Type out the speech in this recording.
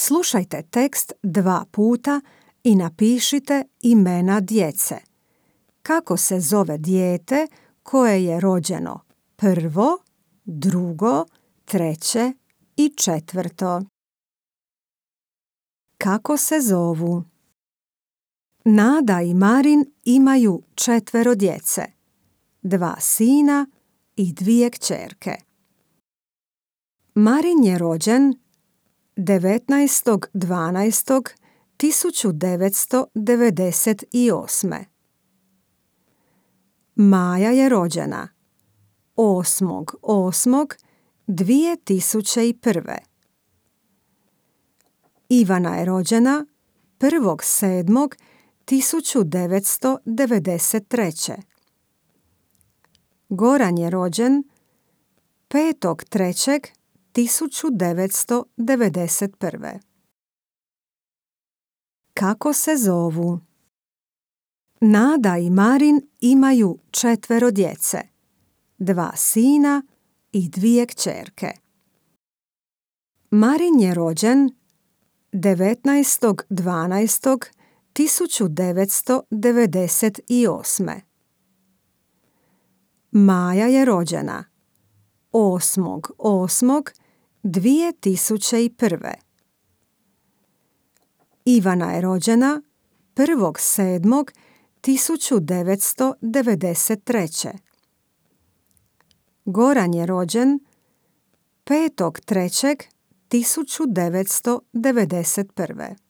Slušajte tekst 2 puta i napišite imena djece. Kako se zove dijete koje je rođeno 1., 2., 3. i 4. Kako se zovu? Nada i Marin imaju 4 djece, 2 sina i 2 kćerke. Marin je rođen 19.12.1998. Maja je rođena 8.8.2001. Ivana je rođena 1.7.1993. Goran je rođen 5.3.1991. Kako se zovu? Nada i Marin imaju 4 djece, 2 sina i 2 kćerke. Marin je rođen 19.12.1998. Maja je rođena 8.8.2001. Ivana je rođena 1.7.1993. Goran je rođen 5.3.1991.